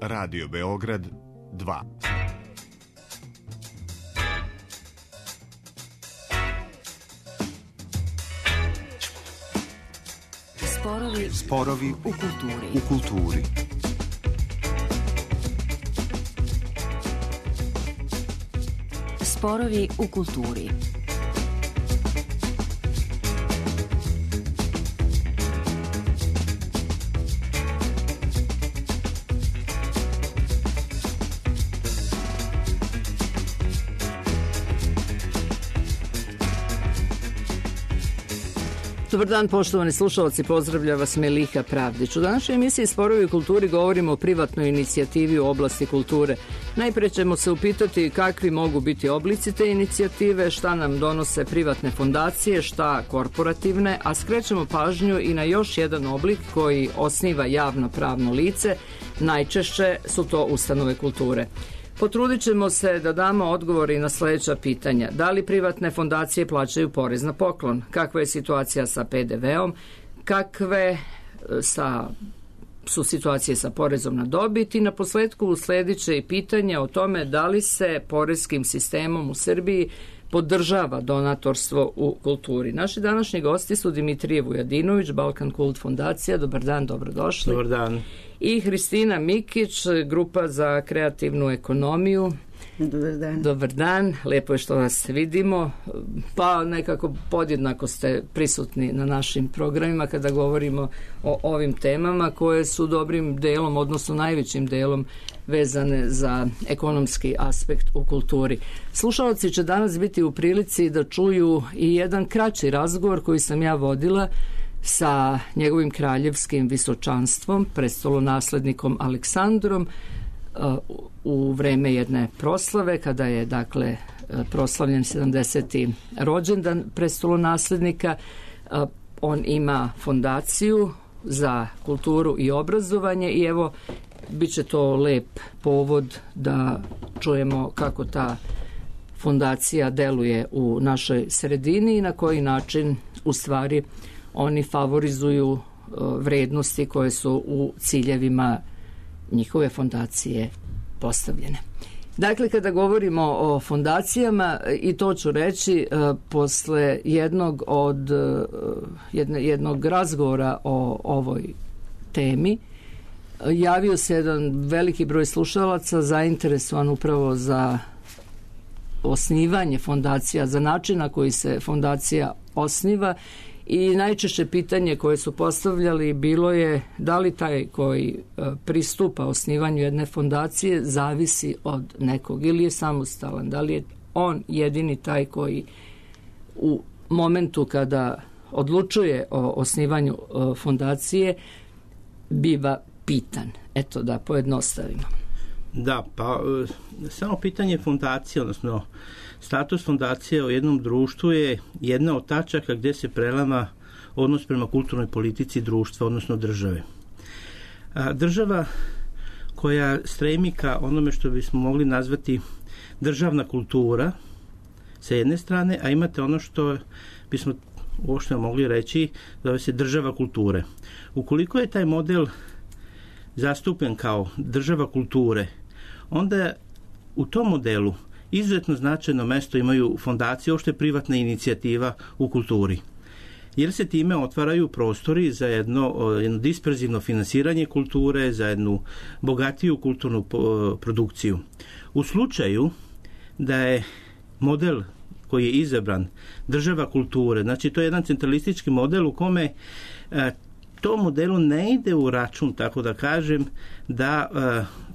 Radio Beograd 2. Sporovi u kulturi. Sporovi u kulturi. Dobar dan, poštovani slušalci, pozdravlja vas Melika Pravdić. U današnjoj emisiji Sporovi u kulturi govorimo o privatnoj inicijativi u oblasti kulture. Najprije ćemo se upitati kakvi mogu biti oblici te inicijative, šta nam donose privatne fondacije, šta korporativne, a skrećemo pažnju i na još jedan oblik koji osniva javno pravno lice, najčešće su to ustanove kulture. Potrudit ćemo se da damo odgovore i na sljedeća pitanja. Da li privatne fondacije plaćaju porez na poklon? Kakva je situacija sa PDV-om? Kakve su situacije sa porezom na dobit? I na posledku usledit će i pitanje o tome da li se poreskim sistemom u Srbiji podržava donatorstvo u kulturi. Naši današnji gosti su Dimitrije Vujadinović, Balkan Kult fondacija. Dobar dan, dobrodošli. Dobar dan. I Hristina Mikić, Grupa za kreativnu ekonomiju. Dobar dan. Dobar dan, lepo je što vas vidimo, pa nekako podjednako ste prisutni na našim programima kada govorimo o ovim temama koje su dobrim delom, odnosno najvećim delom vezane za ekonomski aspekt u kulturi. Slušalci će danas biti u prilici da čuju i jedan kraći razgovor koji sam ja vodila sa njegovim kraljevskim visočanstvom, prestolonaslednikom Aleksandrom, u vreme jedne proslave, kada je dakle proslavljen 70. rođendan prestolonaslednika. On ima fondaciju za kulturu i obrazovanje i evo, bit će to lep povod da čujemo kako ta fondacija deluje u našoj sredini i na koji način u stvari oni favorizuju vrednosti koje su u ciljevima njihove fondacije postavljene. Dakle, kada govorimo o fondacijama, i to ću reći posle jednog razgovora o ovoj temi, javio se jedan veliki broj slušalaca zainteresovan upravo za osnivanje fondacija, za način na koji se fondacija osniva. I najčešće pitanje koje su postavljali bilo je da li taj koji pristupa osnivanju jedne fondacije zavisi od nekog ili je samostalan, da li je on jedini taj koji u momentu kada odlučuje o osnivanju fondacije biva pitan. Eto, da pojednostavimo. Da, pa samo pitanje fondacije, odnosno status fondacije u jednom društvu je jedna od tačaka gdje se prelama odnos prema kulturnoj politici društva, odnosno države. Država koja stremi ka onome što bismo mogli nazvati državna kultura sa jedne strane, a imate ono što bismo uopšte mogli reći zove se država kulture. Ukoliko je taj model zastupen kao država kulture, onda u tom modelu izuzetno značajno mesto imaju fondacije, uopšte privatna inicijativa u kulturi. Jer se time otvaraju prostori za jedno disperzivno finansiranje kulture, za jednu bogatiju kulturnu produkciju. U slučaju da je model koji je izabran država kulture, znači to je jedan centralistički model u kome to modelu ne ide u račun, tako da kažem, da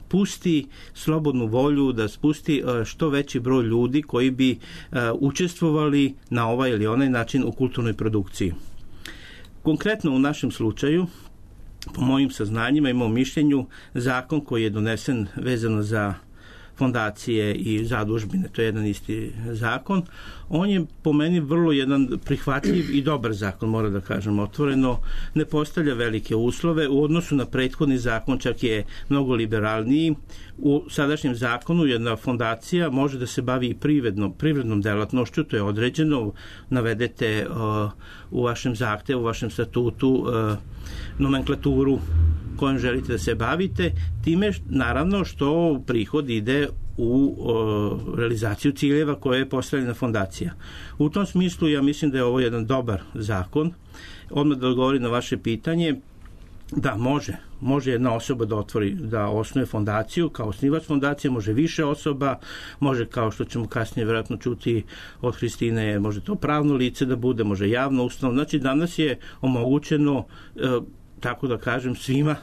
pusti slobodnu volju, da spusti što veći broj ljudi koji bi učestvovali na ovaj ili onaj način u kulturnoj produkciji. Konkretno u našem slučaju, po mojim saznanjima, imamo mišljenju zakon koji je donesen vezano za fondacije i zadužbine, to je jedan isti zakon. On je po meni vrlo jedan prihvatljiv i dobar zakon, moram da kažem otvoreno, ne postavlja velike uslove, u odnosu na prethodni zakon čak je mnogo liberalniji. U sadašnjem zakonu jedna fondacija može da se bavi i privrednom delatnošću, to je određeno, navedete u vašem zahtevu, u vašem statutu nomenklaturu kojom želite da se bavite, time naravno što prihod ide u realizaciju ciljeva koje je postavljena fondacija. U tom smislu ja mislim da je ovo jedan dobar zakon. Odmah da odgovorim na vaše pitanje, da može jedna osoba da osnuje fondaciju, kao osnivač fondacije, može više osoba, može, kao što ćemo kasnije vjerojatno čuti od Hristine, može to pravno lice da bude, može javno ustanova. Znači danas je omogućeno, tako da kažem, svima,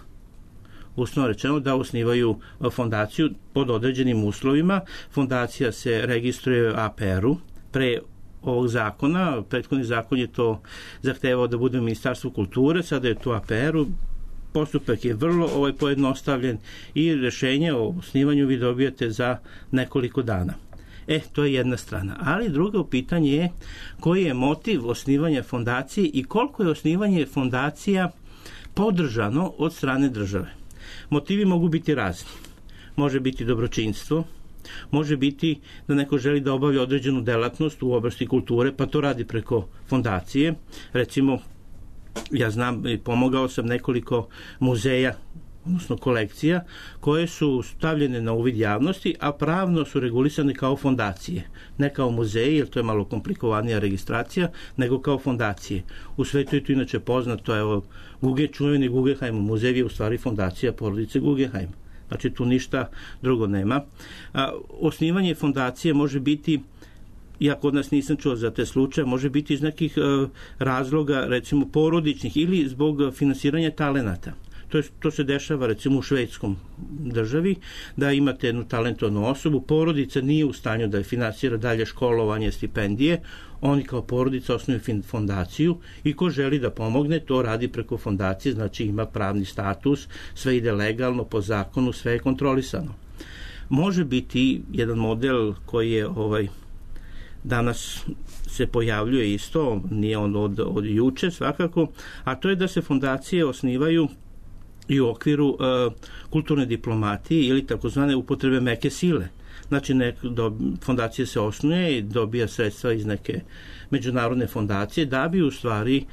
uslovno rečeno, da osnivaju fondaciju pod određenim uslovima. Fondacija se registruje u APR-u. Pre ovog zakona, prethodni zakon je to zahtevao da bude u Ministarstvu kulture, sada je to APR-u. Postupak je vrlo pojednostavljen i rješenje o osnivanju vi dobijate za nekoliko dana. To je jedna strana. Ali drugo pitanje je koji je motiv osnivanja fondacije i koliko je osnivanje fondacija podržano od strane države. Motivi mogu biti razni. Može biti dobročinstvo, može biti da neko želi da obavlja određenu delatnost u oblasti kulture, pa to radi preko fondacije. Recimo, ja znam i pomogao sam nekoliko muzeja, odnosno kolekcija, koje su stavljene na uvid javnosti, a pravno su regulisane kao fondacije. Ne kao muzeji, jer to je malo komplikovanija registracija, nego kao fondacije. U svetu je to inače poznato, čuveni Guggenheim muzej je u stvari fondacija porodice Guggenheim. Znači tu ništa drugo nema. Osnivanje fondacije može biti, ja kod nas nisam čuo za te slučaje, može biti iz nekih razloga, recimo porodičnih ili zbog finansiranja talenata. To se dešava recimo u švedskom državi, da imate jednu talentovanu osobu, porodica nije u stanju da je finansira dalje školovanje, stipendije, oni kao porodica osnuju fondaciju i ko želi da pomogne, to radi preko fondacije, znači ima pravni status, sve ide legalno, po zakonu, sve je kontrolisano. Može biti jedan model koji je danas se pojavljuje isto, nije on od juče svakako, a to je da se fondacije osnivaju i u okviru kulturne diplomatije ili takozvane upotrebe meke sile. Znači, fondacija se osnuje i dobija sredstva iz neke međunarodne fondacije da bi u stvari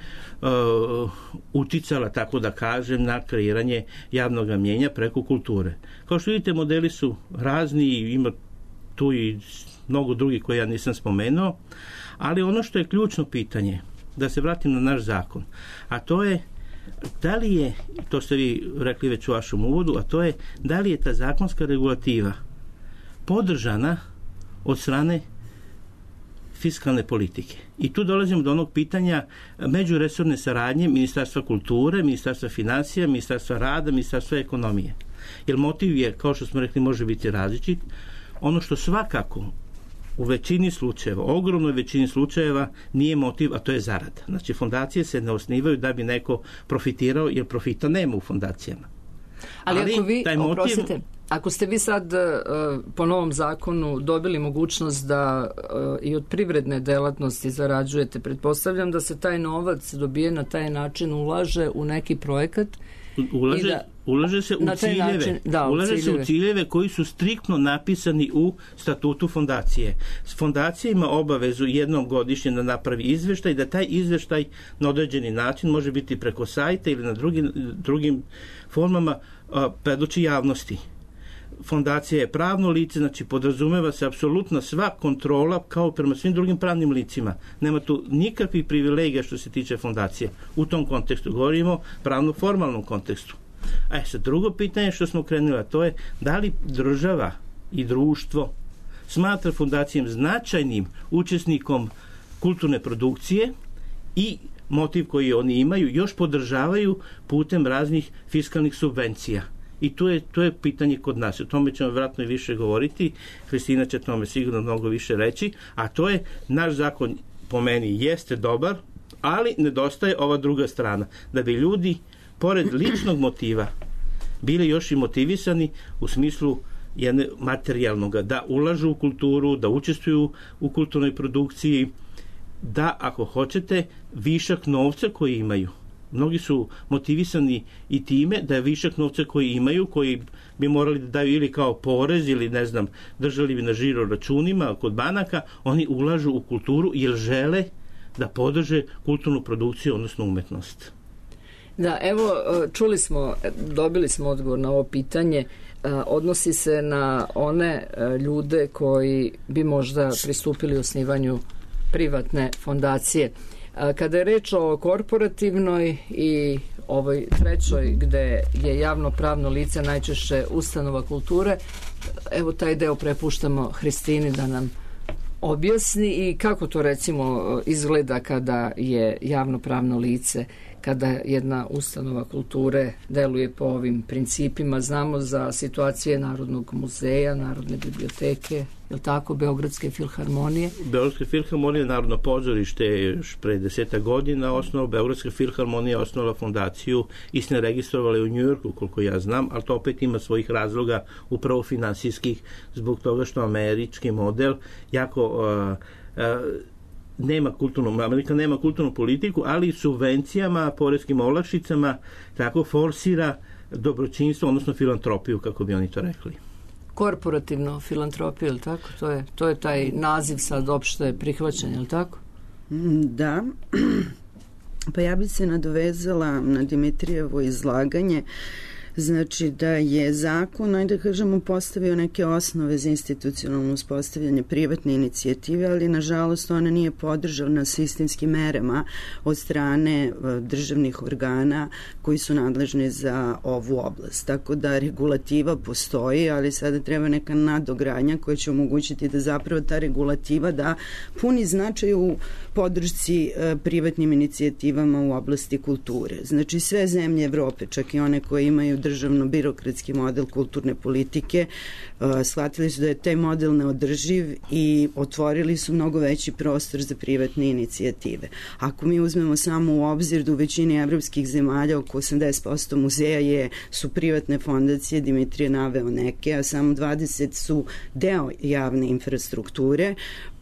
uticala, tako da kažem, na kreiranje javnog mnjenja preko kulture. Kao što vidite, modeli su razni i ima tu i mnogo drugih koje ja nisam spomenuo, ali ono što je ključno pitanje, da se vratim na naš zakon, a to je da li je, to ste vi rekli već u vašem uvodu, a to je da li je ta zakonska regulativa podržana od strane fiskalne politike. I tu dolazimo do onog pitanja međuresorne saradnje Ministarstva kulture, Ministarstva financija, Ministarstva rada, Ministarstva ekonomije. Jer motiv je, kao što smo rekli, može biti različit. Ono što svakako u većini slučajeva, ogromnoj većini slučajeva nije motiv, a to je zarada. Znači, fondacije se ne osnivaju da bi neko profitirao, jer profita nema u fondacijama. Ali ako vi, oprostite, ako ste vi sad po novom zakonu dobili mogućnost da i od privredne delatnosti zarađujete, pretpostavljam da se taj novac dobije na taj način, ulaže u neki projekat. Ulaže se u ciljeve. Se u ciljeve koji su striktno napisani u statutu fondacije. Fondacija ima obavezu jednom godišnje da napravi izveštaj, da taj izveštaj na određeni način može biti preko sajta ili na drugim formama predoči javnosti. Fondacija je pravno lice, znači podrazumeva se apsolutno sva kontrola kao prema svim drugim pravnim licima. Nema tu nikakvih privilegija što se tiče fondacije. U tom kontekstu govorimo pravno-formalnom kontekstu. Sad drugo pitanje što smo krenuli, a to je da li država i društvo smatra fondacijom značajnim učesnikom kulturne produkcije i motiv koji oni imaju još podržavaju putem raznih fiskalnih subvencija. I to je pitanje kod nas. O tome ćemo vjerojatno i više govoriti. Hristina će tome sigurno mnogo više reći. A to je, naš zakon po meni jeste dobar, ali nedostaje ova druga strana. Da bi ljudi, pored ličnog motiva, bili još i motivisani u smislu jedne materijalnoga, da ulažu u kulturu, da učestvuju u kulturnoj produkciji, da, ako hoćete, višak novca koji imaju. Mnogi su motivisani i time da je višak novca koji imaju, koji bi morali da daju ili kao porez ili ne znam, držali bi na žiro računima kod banaka, oni ulažu u kulturu jer žele da podrže kulturnu produkciju, odnosno umetnost. Da, evo, dobili smo odgovor na ovo pitanje. Odnosi se na one ljude koji bi možda pristupili osnivanju privatne fondacije. Kada je reč o korporativnoj i ovoj trećoj gde je javno-pravno lice najčešće ustanova kulture, evo taj deo prepuštamo Hristini da nam objasni i kako to recimo izgleda kada je javno-pravno lice, kada jedna ustanova kulture deluje po ovim principima. Znamo za situacije Narodnog muzeja, Narodne biblioteke, je li tako, Beogradske filharmonije? Beogradska filharmonija, Narodno pozorište je još pre 10 godina osnovao. Beogradska filharmonija osnovala fondaciju i se registrovali u Njujorku, koliko ja znam, ali to opet ima svojih razloga, upravo finansijskih, zbog toga što američki model jako Amerika nema kulturnu politiku, ali subvencijama, poreskim olakšicama tako forsira dobročinstvo, odnosno filantropiju, kako bi oni to rekli. Korporativno filantropiju, je li tako? To je taj naziv sad opšte prihvaćen, je li tako? Da. Pa ja bih se nadovezala na Dimitrijevo izlaganje. Znači da je zakon, ajde da kažemo, postavio neke osnove za institucionalno uspostavljanje privatne inicijative, ali nažalost ona nije podržana sistemskim merama od strane državnih organa koji su nadležni za ovu oblast. Tako da regulativa postoji, ali sada treba neka nadogradnja koja će omogućiti da zapravo ta regulativa da puni značaj u podršci privatnim inicijativama u oblasti kulture. Znači sve zemlje Evrope, čak i one koje imaju državno-birokratski model kulturne politike, shvatili su da je taj model neodrživ i otvorili su mnogo veći prostor za privatne inicijative. Ako mi uzmemo samo u obzir da u većini evropskih zemalja oko 80% muzeja su privatne fondacije, Dimitrije naveo neke, a samo 20 su deo javne infrastrukture,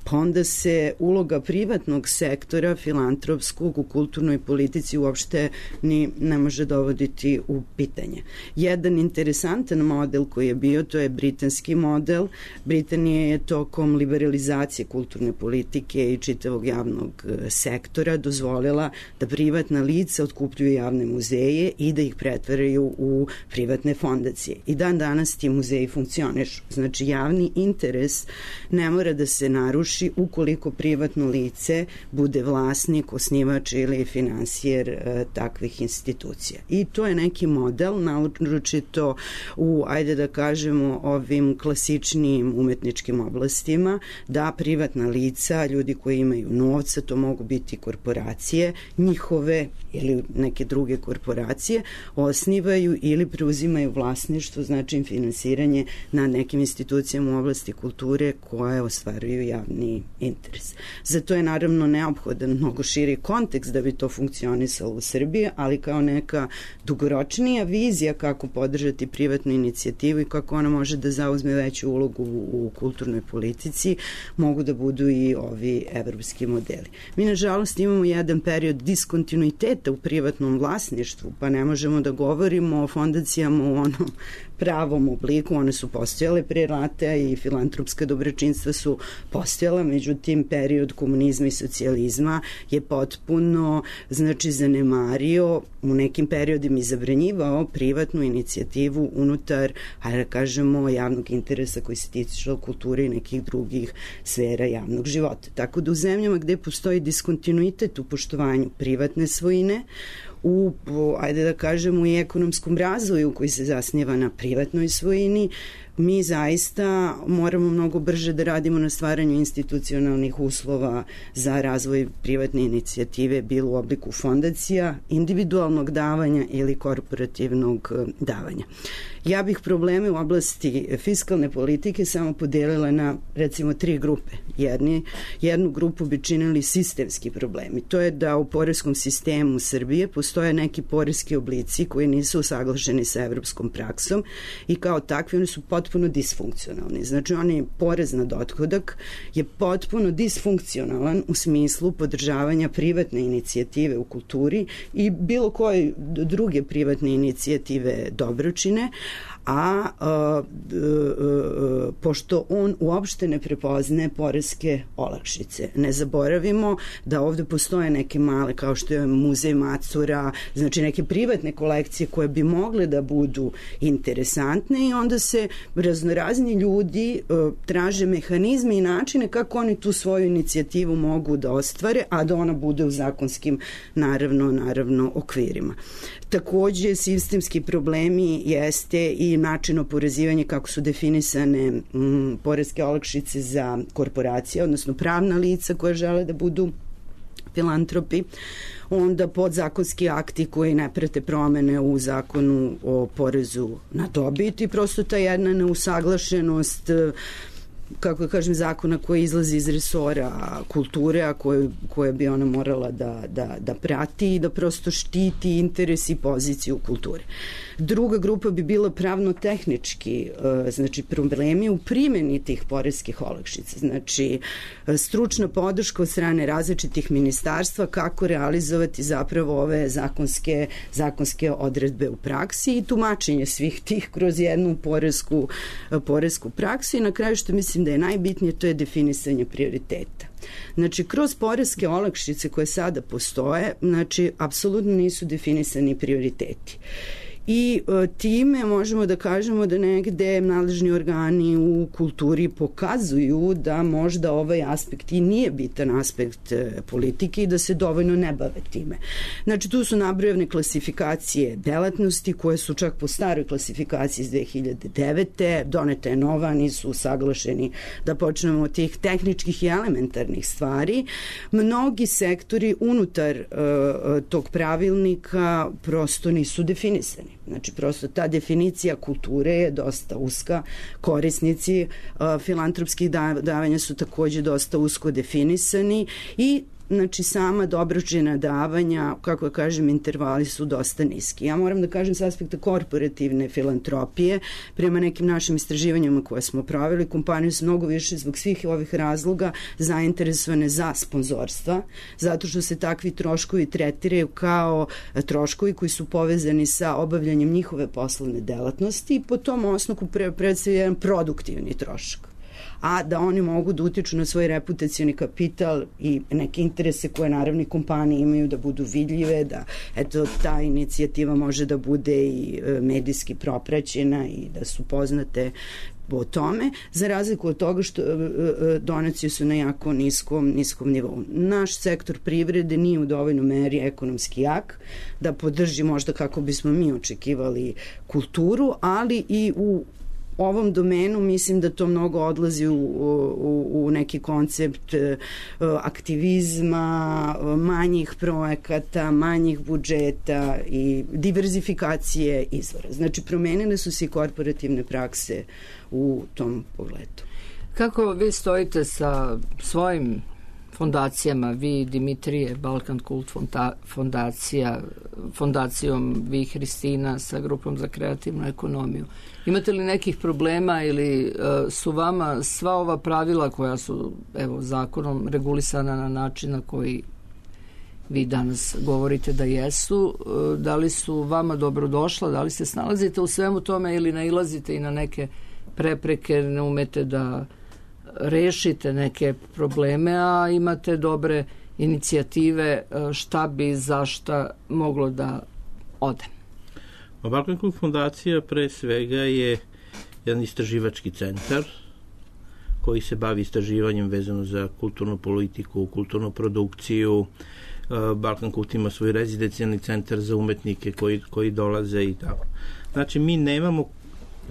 pa onda se uloga privatnog sektora, filantropskog, u kulturnoj politici uopšte ni ne može dovoditi u pitanje. Jedan interesantan model koji je bio, to je britanski model. Britanija je tokom liberalizacije kulturne politike i čitavog javnog sektora dozvolila da privatna lica otkupljuju javne muzeje i da ih pretvaraju u privatne fondacije. I dan danas ti muzeji funkcionišu. Znači javni interes ne mora da se naruši ukoliko privatno lice bude vlasnik, osnivač ili finansijer takvih institucija. I to je neki model, naročito u, ajde da kažemo, ovim klasičnim umetničkim oblastima, da privatna lica, ljudi koji imaju novca, to mogu biti korporacije, njihove ili neke druge korporacije, osnivaju ili preuzimaju vlasništvo, znači finansiranje na nekim institucijama u oblasti kulture koje ostvaruju javni interes. Zato je naravno neophodan mnogo širi kontekst da bi to funkcionisalo u Srbiji, ali kao neka dugoročnija vizija kako podržati privatnu inicijativu i kako ona može da zauzme veću ulogu u kulturnoj politici, mogu da budu i ovi evropski modeli. Mi nažalost imamo jedan period diskontinuiteta u privatnom vlasništvu, pa ne možemo da govorimo o fondacijama u onom pravom obliku. One su postojale pre rata i filantropska dobročinstva su postojala, međutim period komunizma i socijalizma je potpuno zanemario, u nekim periodima i zabranjivao privatnu inicijativu unutar, hajde da kažemo, javnog interesa koji se tiče kulture i nekih drugih sfera javnog života. Tako da u zemljama gde postoji diskontinuitet u poštovanju privatne svojine, ajde da kažemo, i ekonomskom razvoju koji se zasniva na privatnoj svojini, mi zaista moramo mnogo brže da radimo na stvaranju institucionalnih uslova za razvoj privatne inicijative, bilo u obliku fondacija, individualnog davanja ili korporativnog davanja. Ja bih probleme u oblasti fiskalne politike samo podelila na, recimo, 3 grupe. Jednu grupu bi činili sistemski problemi. To je da u poreskom sistemu Srbije postoje neki poreski oblici koji nisu usaglašeni sa evropskom praksom i kao takvi oni su potpuno disfunkcionalni. Znači, porez na dohodak je potpuno disfunkcionalan u smislu podržavanja privatne inicijative u kulturi i bilo koje druge privatne inicijative dobročine, pošto on uopšte ne prepoznaje poreske olakšice. Ne zaboravimo da ovde postoje neke male, kao što je muzej Macura, znači neke privatne kolekcije koje bi mogle da budu interesantne i onda se raznorazni ljudi traže mehanizme i načine kako oni tu svoju inicijativu mogu da ostvare, a da ona bude u zakonskim naravno okvirima. Takođe, sistemski problemi jeste i način oporezivanja kako su definisane poreske olakšice za korporacije, odnosno pravna lica koje žele da budu filantropi, onda podzakonski akti koji ne prate promene u zakonu o porezu na dobit i prosto ta jedna neusaglašenost, kako kažem, zakona koji izlazi iz resora kulture, a koje bi ona morala da prati i da prosto štiti interes i poziciju kulture. Druga grupa bi bila pravno-tehnički, znači problemi u primjeni tih poreskih olakšica, znači stručna podrška od strane različitih ministarstva kako realizovati zapravo ove zakonske odredbe u praksi i tumačenje svih tih kroz jednu poresku praksu i na kraju što mislim da je najbitnije, to je definisanje prioriteta. Znači, kroz poreske olakšice koje sada postoje, znači, apsolutno nisu definisani prioriteti. I time možemo da kažemo da negde nadležni organi u kulturi pokazuju da možda ovaj aspekt i nije bitan aspekt politike i da se dovoljno ne bave time. Znači, tu su nabrojane klasifikacije delatnosti koje su čak po staroj klasifikaciji iz 2009. Doneta je nova, nisu usaglašeni da počnemo od tih tehničkih i elementarnih stvari. Mnogi sektori unutar tog pravilnika prosto nisu definisani. Znači, prosto ta definicija kulture je dosta uska. Korisnici filantropskih davanja su takođe dosta usko definisani i znači sama dobročina davanja, kako ja kažem, intervali su dosta niski. Ja moram da kažem s aspekta korporativne filantropije, prema nekim našim istraživanjima koje smo proveli, kompanije su mnogo više zbog svih ovih razloga zainteresovane za sponzorstva, zato što se takvi troškovi tretiraju kao troškovi koji su povezani sa obavljanjem njihove poslovne delatnosti i po tom osnovu predstavlja jedan produktivni trošak, a da oni mogu da utiču na svoj reputacioni kapital i neke interese koje naravni kompanije imaju da budu vidljive, da eto ta inicijativa može da bude i medijski propraćena i da su poznate o tome, za razliku od toga što donacije su na jako niskom nivou. Naš sektor privrede nije u dovoljnoj meri ekonomski jak da podrži možda kako bismo mi očekivali kulturu, ali i u ovom domenu mislim da to mnogo odlazi u neki koncept aktivizma, manjih projekata, manjih budžeta i diverzifikacije izvora. Znači, promenile su se i korporativne prakse u tom pogledu. Kako vi stojite sa svojim fondacijama, vi Dimitrije, Balkan Kult fondacija, fondacijom vi Hristina sa grupom za kreativnu ekonomiju? Imate li nekih problema ili su vama sva ova pravila koja su zakonom regulisana na način na koji vi danas govorite da jesu, da li su vama dobrodošla, da li se snalazite u svemu tome ili nailazite i na neke prepreke, ne umete da rešite neke probleme, a imate dobre inicijative šta bi zašta moglo da ode? Balkan Kult fondacija pre svega je jedan istraživački centar koji se bavi istraživanjem vezano za kulturnu politiku, kulturnu produkciju. Balkan Kult ima svoj rezidencijalni centar za umetnike koji dolaze i tako. Znači, mi nemamo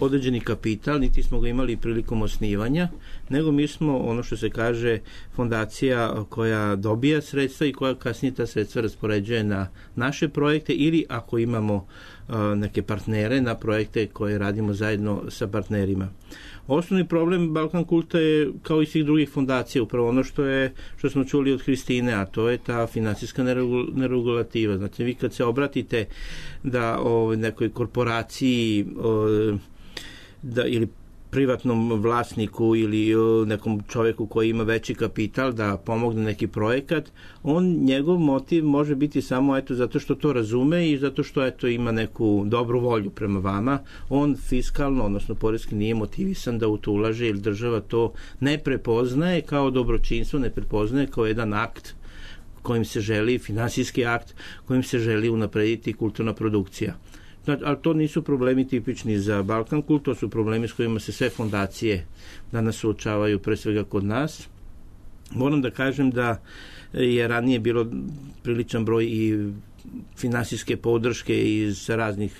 određeni kapital, niti smo ga imali prilikom osnivanja, nego mi smo, ono što se kaže, fondacija koja dobija sredstva i koja kasnije ta sredstva raspoređuje na naše projekte ili ako imamo neke partnere na projekte koje radimo zajedno sa partnerima. Osnovni problem Balkan Kulta je, kao i svih drugih fondacija, upravo ono što smo čuli od Hristine, a to je ta finansijska neregulativa. Znači, vi kad se obratite da nekoj korporaciji ili privatnom vlasniku ili nekom čoveku koji ima veći kapital da pomogne neki projekat, njegov motiv može biti samo zato što to razume i zato što ima neku dobru volju prema vama. On fiskalno, odnosno poreski nije motivisan da u to ulaže, jer država to ne prepoznaje kao dobročinstvo, ne prepoznaje kao jedan akt kojim se želi, finansijski akt kojim se želi unaprediti kulturna produkcija. Ali to nisu problemi tipični za Balkan Kult, to su problemi s kojima se sve fondacije danas suočavaju, pre svega kod nas. Moram da kažem da je ranije bilo priličan broj i finansijske podrške iz raznih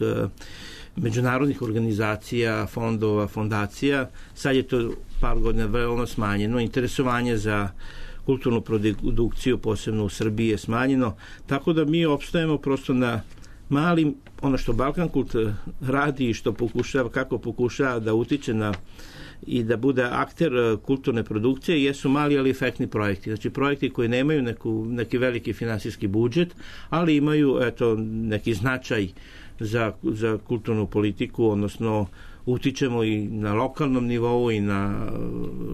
međunarodnih organizacija, fondova, fondacija. Sad je to par godina veoma smanjeno. Interesovanje za kulturnu produkciju, posebno u Srbiji, je smanjeno. Tako da mi opstajemo prosto na malim, ono što Balkan Kult radi i što kako pokušava da utiče na i da bude akter kulturne produkcije, jesu mali ali efektni projekti. Znači projekti koji nemaju neki veliki finansijski budžet, ali imaju neki značaj za kulturnu politiku, odnosno utičemo i na lokalnom nivou i na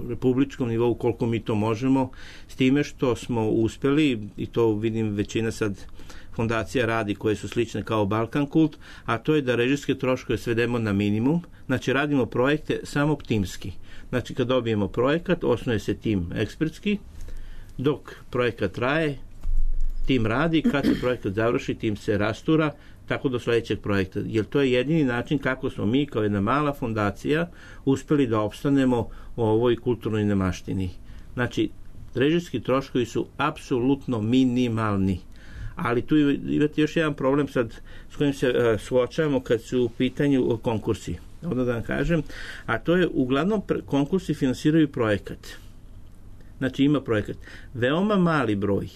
republičkom nivou koliko mi to možemo, s time što smo uspeli, i to vidim većina sad fondacija radi koje su slične kao Balkan Kult, a to je da režijske troškove svedemo na minimum. Znači radimo projekte samo timski. Znači kad dobijemo projekat, osnuje se tim ekspertski, dok projekat traje, tim radi, kad se projekat završi, tim se rastura, tako do sledećeg projekta. Jer to je jedini način kako smo mi kao jedna mala fondacija uspeli da opstanemo u ovoj kulturnoj nemaštini. Znači, režijski troškovi su apsolutno minimalni. Ali tu imate još jedan problem sad s kojim se suočavamo kad su u pitanju konkursi. Onda da vam kažem, a to je uglavnom konkursi finansiraju projekat. Znači ima projekat. Veoma mali broj,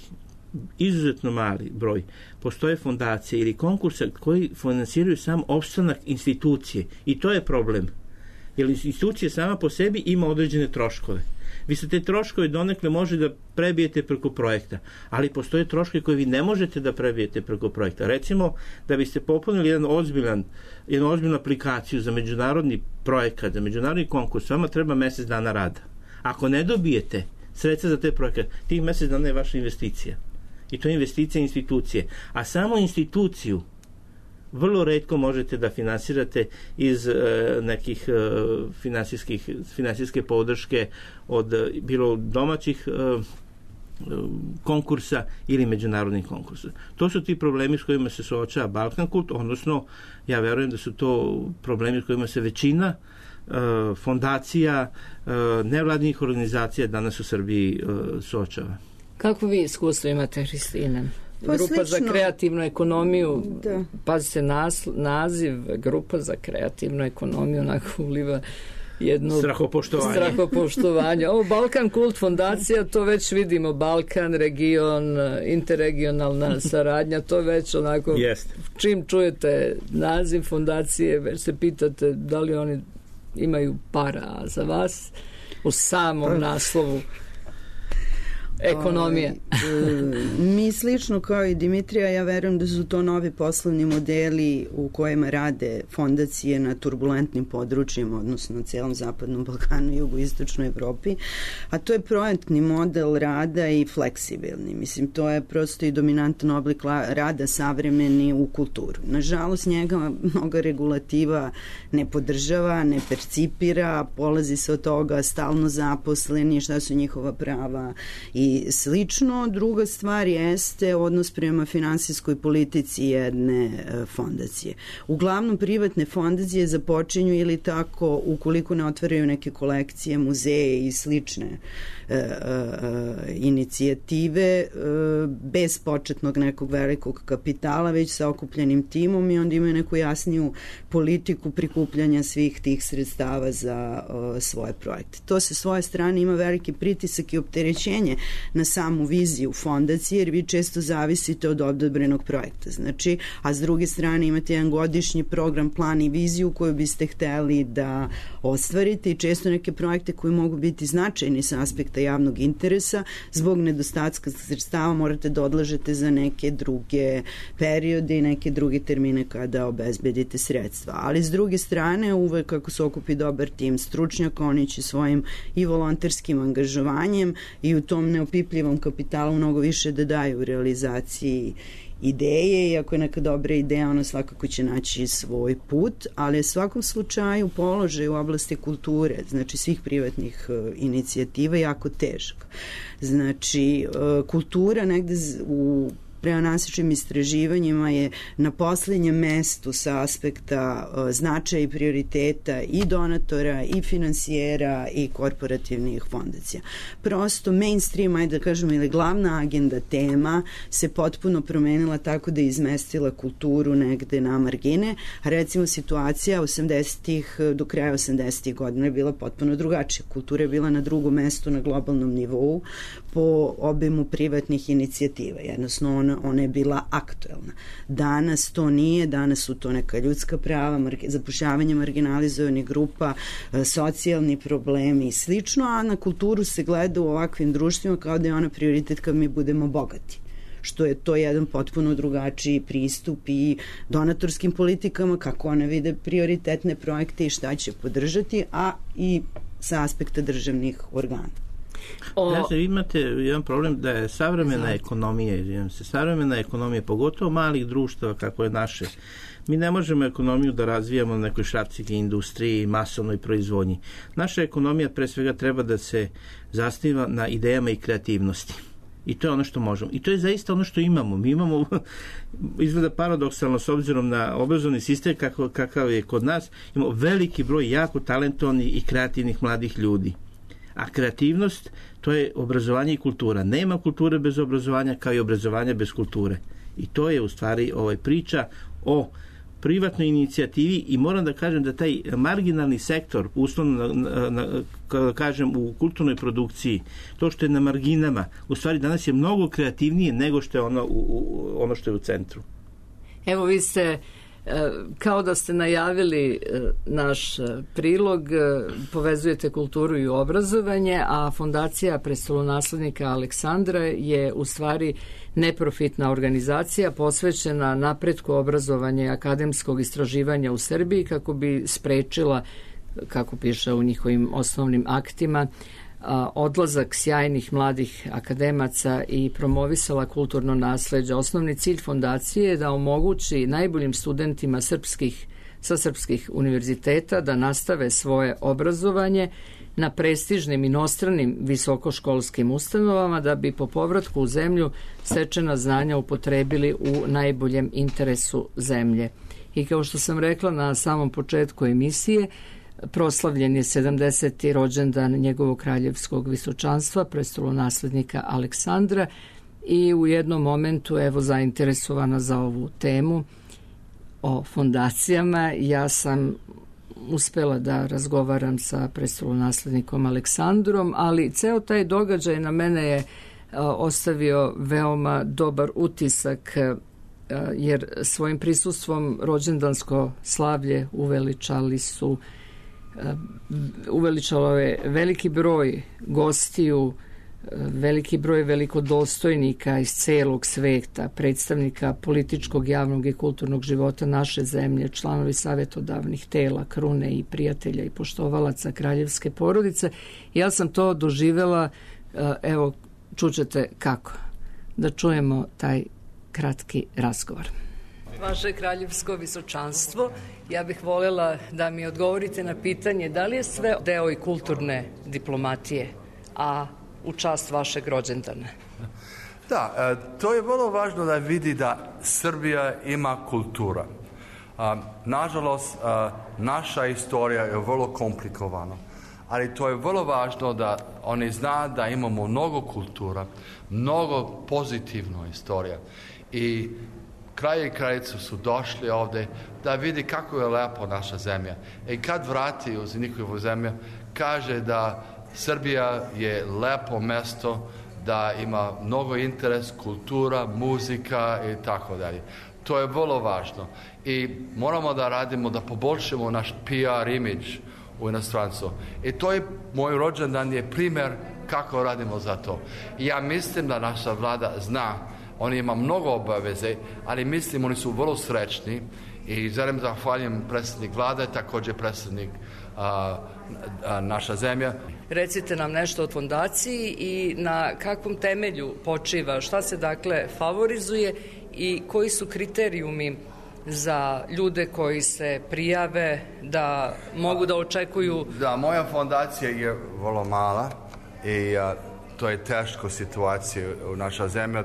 izuzetno mali broj, postoje fondacije ili konkurse koji finansiraju sam opstanak institucije. I to je problem. Jer institucija sama po sebi ima određene troškove. Vi se te troškove donekle može da prebijete preko projekta, ali postoje troškovi koje vi ne možete da prebijete preko projekta. Recimo, da biste popunili jednu ozbiljnu aplikaciju za međunarodni projekat, za međunarodni konkurs, vama treba mesec dana rada. Ako ne dobijete sredstva za te projekte, tih mesec dana je vaša investicija. I to je investicija institucije. A samo instituciju vrlo retko možete da finansirate iz nekih finansijske podrške od bilo domaćih konkursa ili međunarodnih konkursa. To su ti problemi s kojima se suočava Balkan Kult, odnosno ja verujem da su to problemi s kojima se većina fondacija, nevladnih organizacija danas u Srbiji suočava. Kako vi iskustvo imate, Hristina? Grupa za kreativnu ekonomiju, pazite naziv, Grupa za kreativnu ekonomiju, onako uliva jedno strahopoštovanje. Ovo Balkan Kult fondacija, to već vidimo, Balkan, region, interregionalna saradnja, to već onako, čim čujete naziv fondacije, već se pitate da li oni imaju para za vas u samom naslovu ekonomije. Mi slično kao i Dimitrija, ja verujem da su to novi poslovni modeli u kojima rade fondacije na turbulentnim područjima, odnosno na celom zapadnom Balkanu i jugoistočnoj Evropi, a to je projektni model rada i fleksibilni. Mislim, to je prosto i dominantan oblik rada savremeni u kulturu. Nažalost, njega mnoga regulativa ne podržava, ne percipira, polazi se od toga stalno zaposleni, šta su njihova prava i slično. Druga stvar jeste odnos prema finansijskoj politici jedne fondacije. Uglavnom privatne fondacije započinju ili tako, ukoliko ne otvaraju neke kolekcije, muzeje i slične inicijative, bez početnog nekog velikog kapitala, već sa okupljenim timom, i onda imaju neku jasniju politiku prikupljanja svih tih sredstava za svoje projekte. To sa svoje strane ima veliki pritisak i opterećenje na samu viziju fondacije, jer vi često zavisite od odobrenog projekta. Znači, a s druge strane imate jedan godišnji program, plan i viziju koju biste hteli da ostvarite i često neke projekte koji mogu biti značajni sa aspekta javnog interesa, zbog nedostatka sredstava morate da odlažete za neke druge periode i neke druge termine kada obezbedite sredstva. Ali s druge strane, uvek kako se okupi dobar tim stručnjaka, oni će svojim i volonterskim angažovanjem i u tom neopipljivom kapitalu mnogo više da daju u realizaciji ideje, i ako je neka dobra ideja, ona svakako će naći svoj put, ali u svakom slučaju položaj u oblasti kulture, znači svih privatnih inicijativa, jako težak. Znači, kultura negde u prema nasičnim istraživanjima je na poslednjem mestu sa aspekta značaja i prioriteta i donatora i finansijera i korporativnih fondacija. Prosto mainstream, ajde da kažemo, ili glavna agenda tema se potpuno promenila tako da je izmestila kulturu negde na margine. Recimo situacija 80-ih do kraja 80-ih godina je bila potpuno drugačija. Kultura je bila na drugom mestu na globalnom nivou po obimu privatnih inicijativa. Jednostavno ona je bila aktuelna. Danas to nije, danas su to neka ljudska prava, zapošljavanje marginalizovanih grupa, socijalni problemi i slično, a na kulturu se gleda u ovakvim društvima kao da je ona prioritet kad mi budemo bogati. Što je to jedan potpuno drugačiji pristup i donatorskim politikama, kako one vide prioritetne projekte i šta će podržati, a i sa aspekta državnih organa. Znači, imate jedan problem da je savremena ekonomija, pogotovo malih društava kako je naše, mi ne možemo ekonomiju da razvijamo na nekoj šrafcigi industriji, masovnoj proizvodnji. Naša ekonomija pre svega treba da se zasniva na idejama i kreativnosti. I to je ono što možemo. I to je zaista ono što imamo. Mi imamo, izgleda paradoksalno s obzirom na obrazovni sistem kakav je kod nas, imamo veliki broj jako talentovnih i kreativnih mladih ljudi. A kreativnost, to je obrazovanje i kultura. Nema kulture bez obrazovanja, kao i obrazovanja bez kulture. I to je u stvari priča o privatnoj inicijativi, i moram da kažem da taj marginalni sektor, uslovno kada kažem u kulturnoj produkciji, to što je na marginama, u stvari danas je mnogo kreativnije nego što je ono što je u centru. Evo, vi ste kao da ste najavili naš prilog, povezujete kulturu i obrazovanje, a Fondacija prestolonaslednika Aleksandra je u stvari neprofitna organizacija posvećena napretku obrazovanja i akademskog istraživanja u Srbiji kako bi sprečila, kako piše u njihovim osnovnim aktima, odlazak sjajnih mladih akademaca i promovisala kulturno nasleđe. Osnovni cilj fondacije je da omogući najboljim studentima sa srpskih univerziteta da nastave svoje obrazovanje na prestižnim inostranim visokoškolskim ustanovama da bi po povratku u zemlju stečena znanja upotrebili u najboljem interesu zemlje. I kao što sam rekla na samom početku emisije, proslavljen je 70. rođendan njegovog kraljevskog visočanstva, prestolonaslednika Aleksandra, i u jednom momentu, evo, zainteresovana za ovu temu o fondacijama, ja sam uspela da razgovaram sa prestolonaslednikom Aleksandrom, ali ceo taj događaj na mene je ostavio veoma dobar utisak, jer svojim prisustvom rođendansko slavlje uveličalo je veliki broj gostiju, veliki broj velikodostojnika iz celog sveta, predstavnika političkog, javnog i kulturnog života naše zemlje, članovi savetodavnih tela, krune i prijatelja i poštovalaca kraljevske porodice. Ja sam to doživela, evo, čućete kako. Da čujemo taj kratki razgovor. Vaše kraljevsko visočanstvo, ja bih voljela da mi odgovorite na pitanje da li je sve deo i kulturne diplomatije, a u čast vašeg rođendana? Da, to je vrlo važno da vidi da Srbija ima kultura. Nažalost, naša istorija je vrlo komplikovana, ali to je vrlo važno da oni zna da imamo mnogo kultura, mnogo pozitivno istorija. I kralj i kraljica su došli ovde da vidi kako je lepo naša zemlja. I kad vrati u njihovu zemlju, kaže da Srbija je lepo mesto da ima mnogo interes, kultura, muzika i tako dalje. To je vrlo važno i moramo da radimo, da poboljšamo naš PR imidž u inostranstvu. I to je, moj rođendan je primjer kako radimo za to. I ja mislim da naša vlada zna, oni ima mnogo obaveze, ali mislim oni su vrlo srećni i želim zahvaljujem predsjednik vlade, također predsjednik naša zemlja. Recite nam nešto o fondaciji i na kakvom temelju počiva, šta se dakle favorizuje i koji su kriterijumi za ljude koji se prijave da mogu da očekuju? Da, moja fondacija je vrlo mala i to je teška situacija u naša zemlja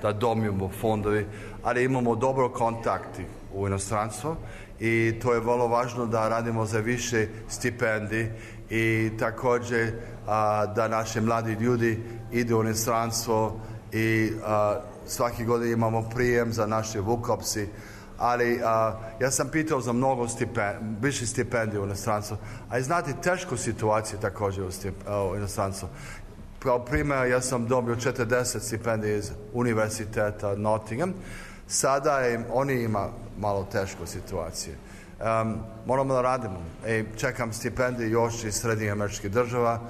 da dobijemo fondovi, ali imamo dobro kontakti u inostranstvu i to je vrlo važno da radimo za više stipendij i također da naši mladi ljudi idu u inostranstvo i svaki godin imamo prijem za naše Vukopsi, ali ja sam pitao za mnogo više stipendija u inostranstvu, a znate tešku situaciju također u inostranstvu. Kao primjer, ja sam dobio 40 stipendija iz univerziteta Nottingham. Sada oni ima malo tešku situaciju. Moramo da radimo. Čekam stipendije još iz Srednjih američkih država,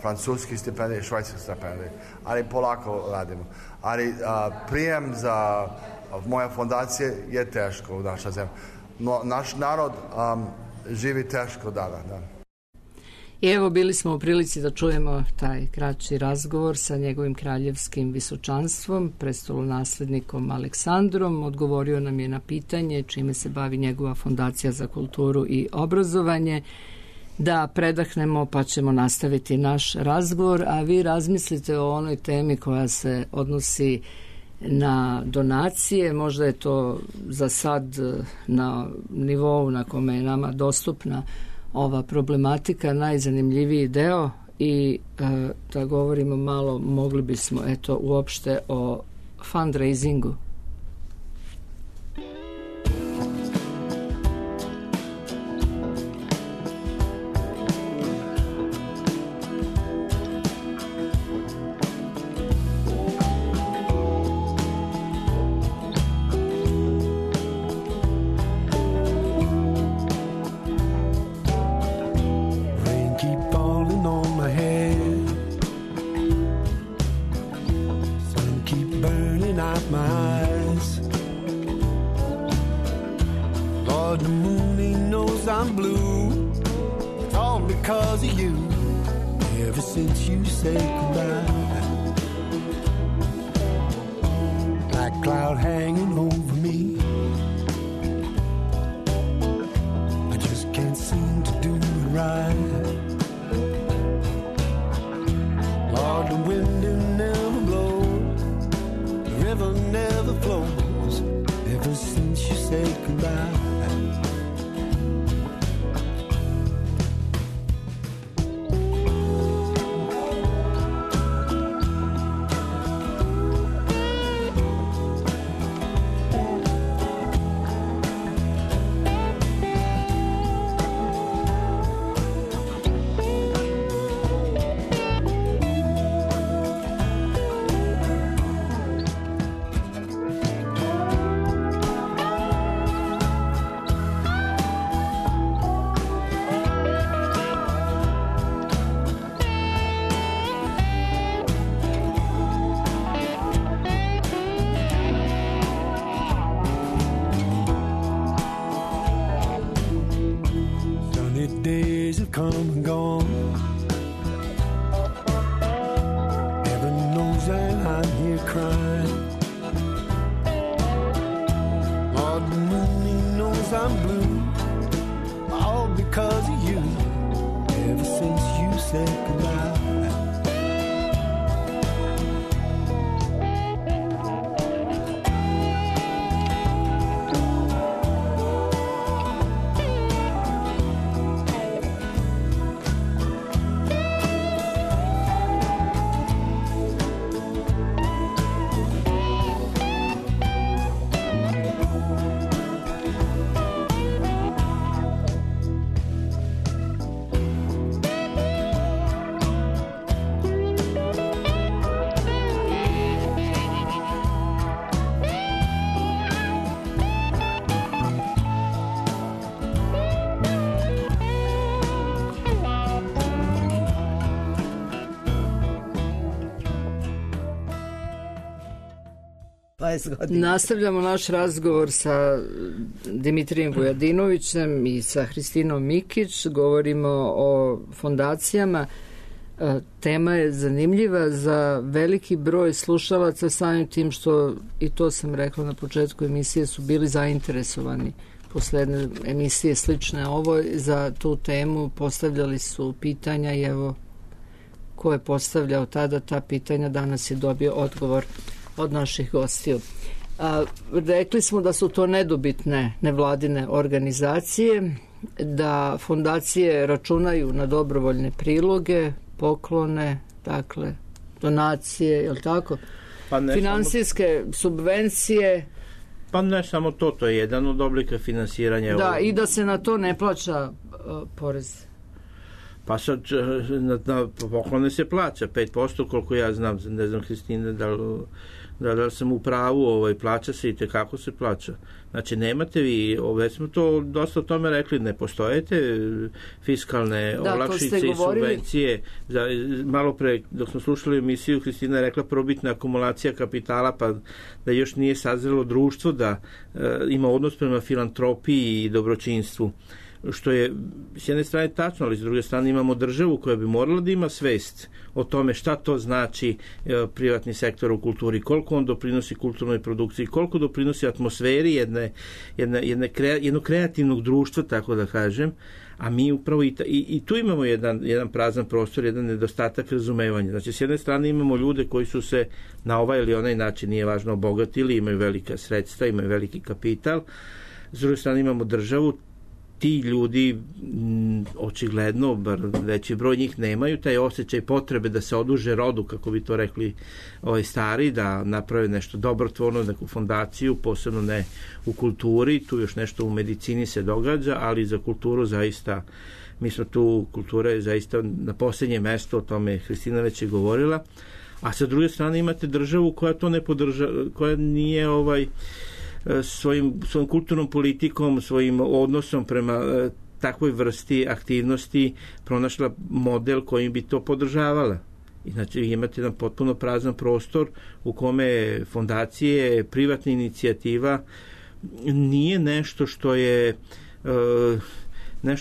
francuskih stipendija i švajcarskih stipendija. Ali polako radimo. Ali prijem za moja fondacija je teško u našoj zemlji. No, naš narod živi teško dana. Da. I evo bili smo u prilici da čujemo taj kraći razgovor sa njegovim kraljevskim visočanstvom, prestolonaslednikom Aleksandrom. Odgovorio nam je na pitanje čime se bavi njegova fondacija za kulturu i obrazovanje. Da predahnemo pa ćemo nastaviti naš razgovor, a vi razmislite o onoj temi koja se odnosi na donacije. Možda je to za sad na nivou na kome je nama dostupna ova problematika najzanimljiviji deo i da govorimo malo, mogli bismo uopšte o fundraisingu. 20 godina. Nastavljamo naš razgovor sa Dimitrijem Vujadinovićem i sa Hristinom Mikić. Govorimo o fondacijama. Tema je zanimljiva za veliki broj slušalaca, samim tim što, i to sam rekla na početku emisije, su bili zainteresovani posle jedne emisije slične ovoj za tu temu, postavljali su pitanja i evo ko je postavljao tada ta pitanja danas je dobio odgovor od naših gostiju. Rekli smo da su to nedobitne nevladine organizacije, da fondacije računaju na dobrovoljne priloge, poklone, dakle donacije, je li tako? Pa finansijske subvencije. Pa ne samo to, to je jedan od oblika finansiranja. Da, i da se na to ne plaća porez. Pa sad na poklone se plaća 5%, koliko ja znam, ne znam Hristine da sam u pravu, plaća se i tekako se plaća. Znači nemate vi, već smo to dosta o tome rekli, ne postojete fiskalne olakšice i subvencije. Malo pre, dok smo slušali emisiju, Hristina je rekla probitna akumulacija kapitala, pa da još nije sazrelo društvo, da ima odnos prema filantropiji i dobročinstvu. Što je s jedne strane tačno, ali s druge strane imamo državu koja bi morala da ima svest o tome šta to znači privatni sektor u kulturi, koliko on doprinosi kulturnoj produkciji, koliko doprinosi atmosferi jednog kreativnog društva, tako da kažem, a mi upravo i tu imamo jedan prazan prostor, jedan nedostatak razumevanja. Znači, s jedne strane imamo ljude koji su se na ovaj ili onaj način, nije važno, obogatili, imaju velika sredstva, imaju veliki kapital, s druge strane imamo državu. Ti ljudi očigledno, bar veći broj njih, nemaju taj osjećaj potrebe da se oduže rodu, kako bi to rekli stari, da naprave nešto dobrotvorno, neku fondaciju, posebno ne u kulturi, tu još nešto u medicini se događa, ali za kulturu zaista, mi smo tu, kultura je zaista na posljednje mesto, o tome Hristina već je govorila, a sa druge strane imate državu koja to ne podržava, koja nije svojim kulturnom politikom, svojim odnosom prema takvoj vrsti aktivnosti pronašla model kojim bi to podržavala. Znači imate jedan potpuno prazan prostor u kome fondacije, privatna inicijativa nije nešto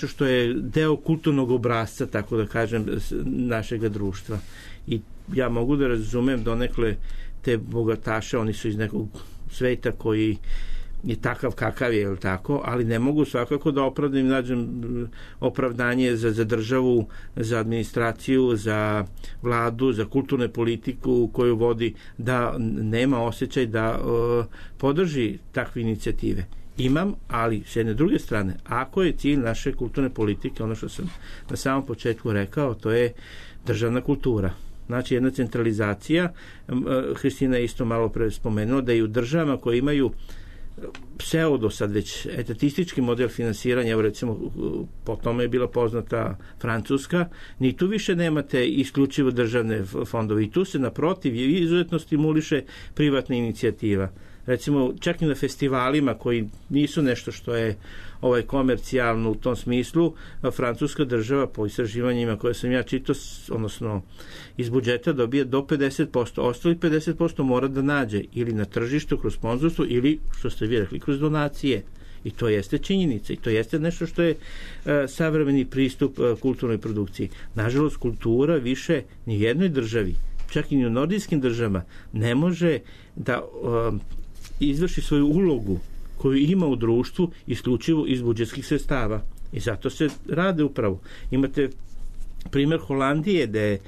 što je deo kulturnog obrasca, tako da kažem, našeg društva. I ja mogu da razumem donekle te bogataše, oni su iz nekog sveta koji je takav kakav je, ili tako, ali ne mogu svakako da nađem opravdanje za državu, za administraciju, za vladu, za kulturnu politiku koju vodi, da nema osjećaj da podrži takve inicijative. Imam, ali s jedne druge strane, ako je cilj naše kulturne politike, ono što sam na samom početku rekao, to je državna kultura. Znači jedna centralizacija, Hristina je isto malo pre spomenula da i u državama koje imaju pseudo sad već etatistički model finansiranja, evo recimo po tome je bila poznata Francuska, ni tu više nemate isključivo državne fondove i tu se naprotiv izuzetno stimuliše privatna inicijativa. Recimo čak i na festivalima koji nisu nešto što je komercijalno u tom smislu, francuska država po istraživanjima koje sam ja čitao, odnosno iz budžeta dobije do 50%, ostali 50% mora da nađe ili na tržištu kroz sponzorstvo ili, što ste vi rekli, kroz donacije. I to jeste činjenica i to jeste nešto što je savremeni pristup kulturnoj produkciji. Nažalost, kultura više ni u jednoj državi, čak i u nordijskim državama, ne može da izvrši svoju ulogu koju ima u društvu isključivo iz budžetskih sredstava. I zato se rade upravo. Imate primjer Holandije gde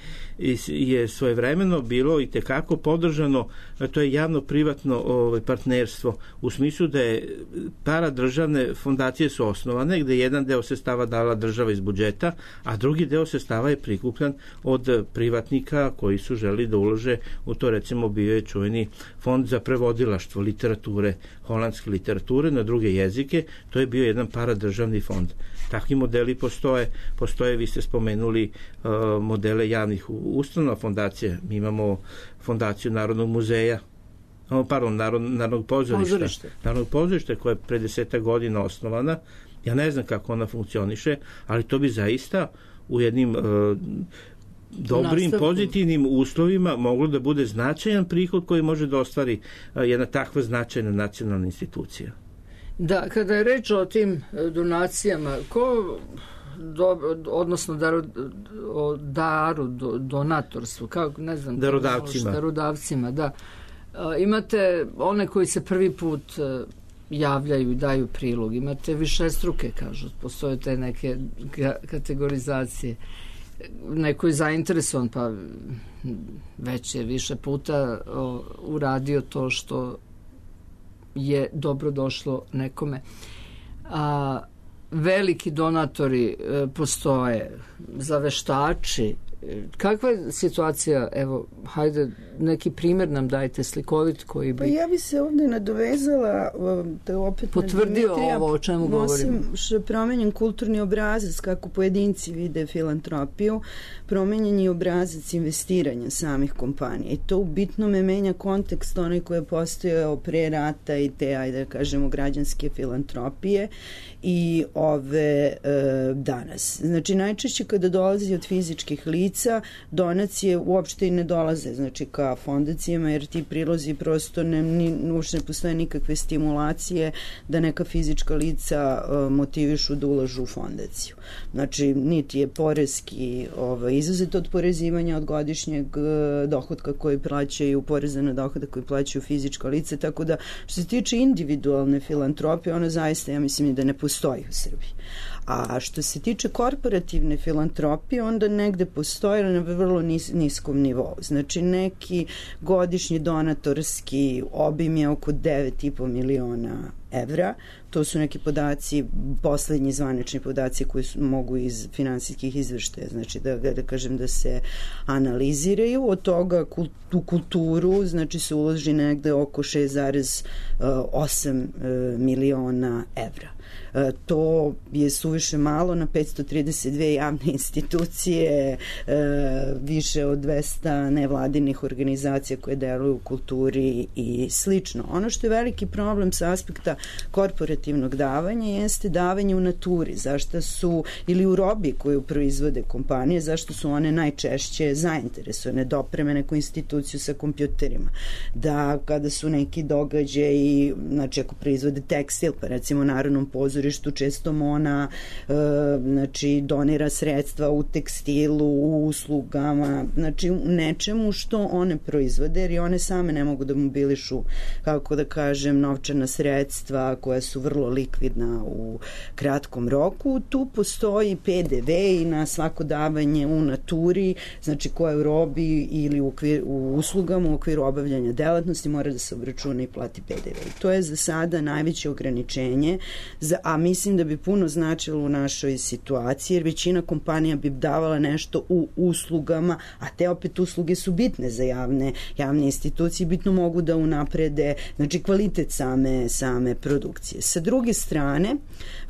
je svojevremeno bilo i tekako podržano, to je javno-privatno partnerstvo, u smislu da je paradržavne fondacije su osnovane, gde jedan deo sredstava dala država iz budžeta, a drugi deo sredstava je prikupljan od privatnika koji su želi da ulože u to. Recimo bio je čuveni fond za prevodilaštvo literature, holandske literature na druge jezike, to je bio jedan paradržavni fond. Takvi modeli postoje, vi ste spomenuli modele javnih ustanova, fondacije. Mi imamo fondaciju Narodnog muzeja, Narodnog pozorišta. Narodnog pozorišta koja je pre 10 godina osnovana. Ja ne znam kako ona funkcioniše, ali to bi zaista u jednim dobrim, pozitivnim uslovima moglo da bude značajan prihod koji može da ostvari jedna takva značajna nacionalna institucija. Da, kada je reč o tim donacijama, odnosno donatorstvu, kako, ne znam, darodavcima, da. Imate one koji se prvi put javljaju i daju prilog, imate višestruke, kažu, postoje te neke kategorizacije. Neko je zainteresovan, pa već je više puta uradio to što je dobro došlo nekome. Veliki donatori postoje, zaveštači. Kakva je situacija, evo, hajde, neki primjer nam dajte slikovit koji bi... Pa ja bi se ovdje nadovezala da opet potvrdio ovo o čemu govorimo. Što je promenjen kulturni obrazac, kako pojedinci vide filantropiju, promenjen je obrazac investiranja samih kompanija i to u bitnome menja kontekst onaj koji je postojao pre rata i te, ajde da kažemo, građanske filantropije i ove danas. Znači, najčešće kada dolazi od fizičkih lica, donacije uopšte i ne dolaze, znači ka fondacijama, jer ti prilozi prosto uopšte ne postoje nikakve stimulacije da neka fizička lica motivišu da ulažu u fondaciju. Znači, niti je poreski izuzet od porezivanja od godišnjeg dohodka koji plaćaju, poreza na dohodak koji plaćaju fizička lica, tako da što se tiče individualne filantropije, ona zaista, ja mislim, da ne postoji u Srbiji. A što se tiče korporativne filantropije, onda negde postoji na vrlo niskom nivou. Znači, neki godišnji donatorski obim je oko 9,5 miliona evra. To su neki podaci, poslednji zvanični podaci koji mogu iz finansijskih izveštaja, znači da kažem da se analiziraju. Od toga u kulturu, znači se uloži negde oko 6,8 miliona evra. To je suviše malo na 532 javne institucije, više od 200 nevladinih organizacija koje deluju u kulturi i slično. Ono što je veliki problem sa aspekta korporativnog davanja jeste davanje u naturi, zašto su, ili u robi koju proizvode kompanije, zašto su one najčešće zainteresovane da opreme neku instituciju sa kompjuterima, da kada su neki događaji, znači ako proizvode tekstil, pa recimo Narodnom pozorištu, često ona znači donira sredstva u tekstilu, u uslugama, znači u nečemu što one proizvode, jer i one same ne mogu da mobilišu, kako da kažem, novčana sredstva koja su vrlo likvidna u kratkom roku. Tu postoji PDV i na svako davanje u naturi, znači koja u robi ili u uslugama u okviru obavljanja delatnosti mora da se obračuna i plati PDV. To je za sada najveće ograničenje, a mislim da bi puno značilo u našoj situaciji, jer većina kompanija bi davala nešto u uslugama, a te opet usluge su bitne za javne institucije, bitno mogu da unaprede, znači, kvalitet same produkcije. Sa druge strane,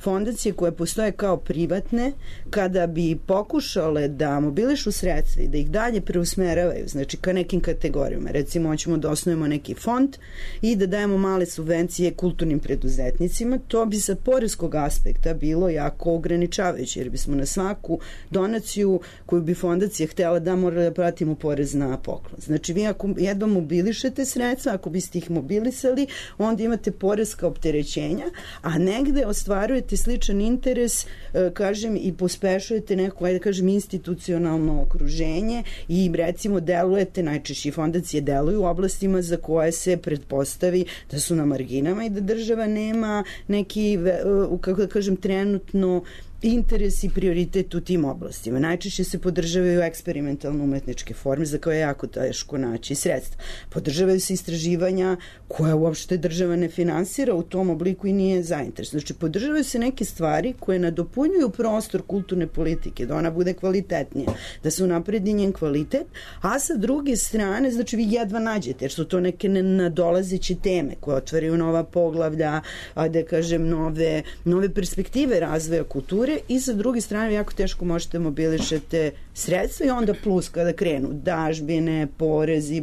fondacije koje postoje kao privatne, kada bi pokušale da mobilišu sredstva i da ih dalje preusmeravaju, znači ka nekim kategorijama, recimo hoćemo da osnovimo neki fond i da dajemo male subvencije kulturnim preduzetnicima, to bi sa poreskog aspekta bilo jako ograničavajuće, jer bismo na svaku donaciju koju bi fondacija htjela da mora da pratimo porez na poklon. Znači, vi ako jedva mobilišete sredstva, ako biste ih mobilisali, onda imate poreska opterećenja, a negde ostvarujete sličan interes, kažem, i pospešujete neko, ajde kažem, institucionalno okruženje i recimo delujete, najčešće fondacije deluju u oblastima za koje se pretpostavi da su na marginama i da država nema neki, kako da kažem, trenutno interes i prioritet u tim oblastima. Najčešće se podržavaju eksperimentalno umetničke forme za koje je jako teško naći sredstva. Podržavaju se istraživanja koje uopšte država ne finansira u tom obliku i nije zainteresovana. Znači, podržavaju se neke stvari koje nadopunjuju prostor kulturne politike, da ona bude kvalitetnija, da se unapredi njen kvalitet, a sa druge strane, znači, vi jedva nađete, jer su to neke nadolazeće teme koje otvaraju nova poglavlja, da kažem, nove perspektive razvoja kulture, i sa druge strane jako teško možete mobilišete sredstva i onda plus kada krenu dažbine,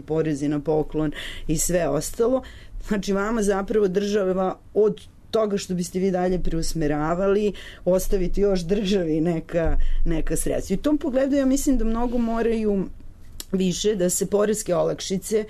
porezi na poklon i sve ostalo. Znači, vama zapravo država od toga što biste vi dalje preusmeravali, ostaviti još državi neka sredstva. I u tom pogledu ja mislim da mnogo moraju više da se poreske olakšice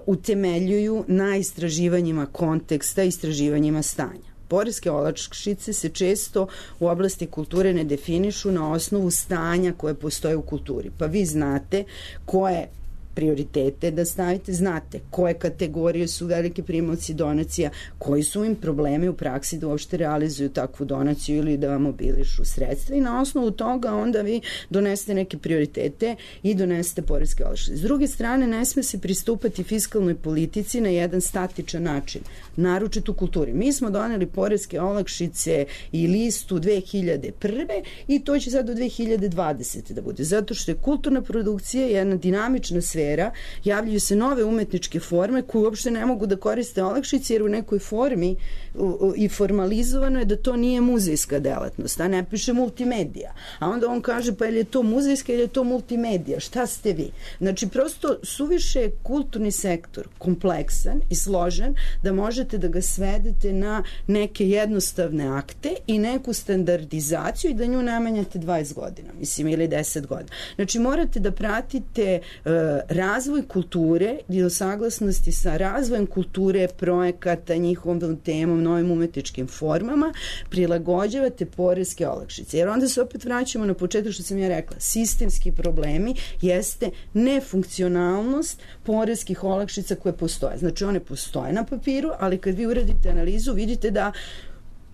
utemeljuju na istraživanjima konteksta, istraživanjima stanja. Poreske olakšice se često u oblasti kulture ne definišu na osnovu stanja koje postoje u kulturi. Pa vi znate koje prioritete da stavite, znate koje kategorije su velike primaoci donacija, koji su im problemi u praksi da uopšte realizuju takvu donaciju ili da vam mobilišu sredstva i na osnovu toga onda vi donesete neke prioritete i donesete poreske olakšice. S druge strane, ne sme se pristupati fiskalnoj politici na jedan statičan način, naročito u kulturi. Mi smo doneli poreske olakšice i listu 2001. i to će sad do 2020. da bude, zato što je kulturna produkcija jedna dinamična sfera, javljaju se nove umetničke forme koje uopšte ne mogu da koriste olakšice jer u nekoj formi i formalizovano je da to nije muzejska delatnost, a ne piše multimedija. A onda on kaže pa je li to muzejska ili je to multimedija, šta ste vi? Znači prosto suviše je kulturni sektor kompleksan i složen da možete da ga svedete na neke jednostavne akte i neku standardizaciju i da nju namenjate 20 godina, mislim, ili 10 godina. Znači morate da pratite razvoj kulture i o saglasnosti sa razvojem kulture, projekata, njihovom temom, novim umetničkim formama, prilagođavate poreske olakšice. Jer onda se opet vraćamo na početak što sam ja rekla. Sistemski problemi jeste nefunkcionalnost poreskih olakšica koje postoje. Znači one postoje na papiru, ali kad vi uradite analizu vidite da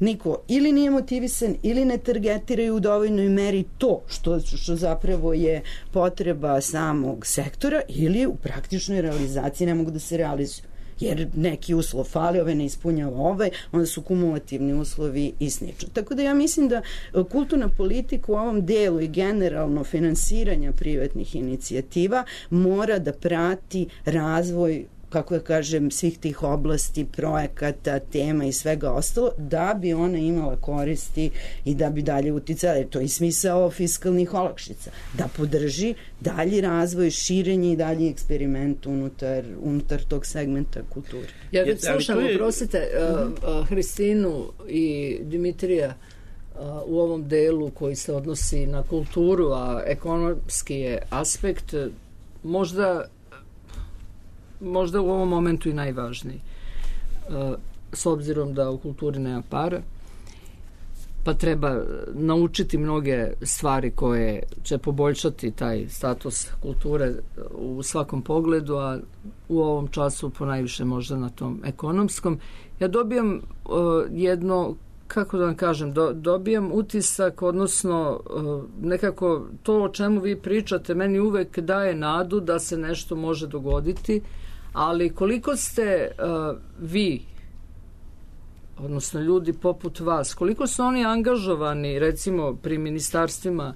niko ili nije motivisan ili ne targetiraju u dovoljnoj meri to što zapravo je potreba samog sektora ili u praktičnoj realizaciji ne mogu da se realizuju. Jer neki uslov fali, ove ne ispunjava ovaj, onda su kumulativni uslovi i slično. Tako da ja mislim da kulturna politika u ovom delu i generalno finansiranja privatnih inicijativa mora da prati razvoj, kako ja kažem, svih tih oblasti, projekata, tema i svega ostalo, da bi ona imala koristi i da bi dalje uticala. To je i smisao fiskalnih olakšica. Da podrži dalji razvoj, širenje i dalji eksperiment unutar tog segmenta kulture. Ja već slušam, oprostite, Hristinu i Dimitrija u ovom delu koji se odnosi na kulturu, a ekonomski je aspekt možda u ovom momentu i najvažniji. S obzirom da u kulturi nema para, pa treba naučiti mnoge stvari koje će poboljšati taj status kulture u svakom pogledu, a u ovom času ponajviše možda na tom ekonomskom. Ja dobijam jedno, kako da vam kažem, dobijam utisak, odnosno nekako to o čemu vi pričate meni uvek daje nadu da se nešto može dogoditi, ali koliko ste vi, odnosno ljudi poput vas, koliko su oni angažovani recimo pri ministarstvima,